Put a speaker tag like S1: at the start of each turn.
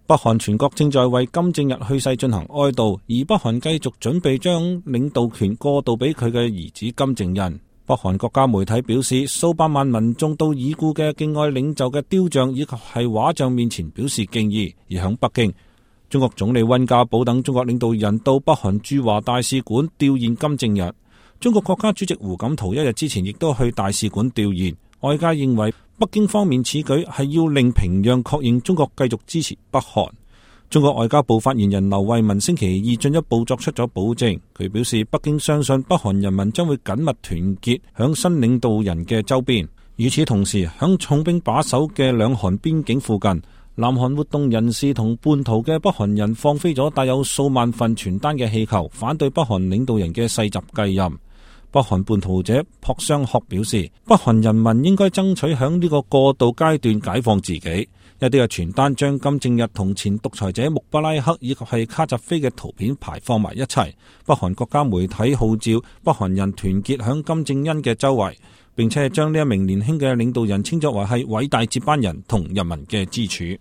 S1: 北韓全國正在為金正日去世進行哀悼，而北韓繼續準備將領導權過渡俾佢嘅兒子金正恩。北韓國家媒體表示，數百萬民眾到已故嘅敬愛領袖嘅雕像以及係畫像面前表示敬意。而響北京，中國總理溫家寶等中國領導人到北韓駐華大使館弔唁金正日。中國國家主席胡錦濤一日之前亦都去大使館弔唁。外界認為北京方面此舉係要令平壤確認中國繼續支持北韓。中國外交部發言人劉慧文星期二進一步作出咗保證，佢表示北京相信北韓人民將會緊密團結響新領導人嘅周邊。與此同時，響重兵把守嘅兩韓邊境附近，南韓活動人士同叛徒嘅北韓人放飛咗帶有數萬份傳單嘅氣球，反對北韓領導人嘅世襲繼任。北韓叛徒者朴相學表示，北韓人民應該爭取響呢個過渡階段解放自己。一啲嘅傳單將金正日同前獨裁者穆巴拉克以及係卡扎菲嘅圖片排放埋一齊。北韓國家媒體號召北韓人團結響金正恩嘅周圍，並且將呢一名年輕嘅領導人稱作為係偉大接班人同人民嘅支柱。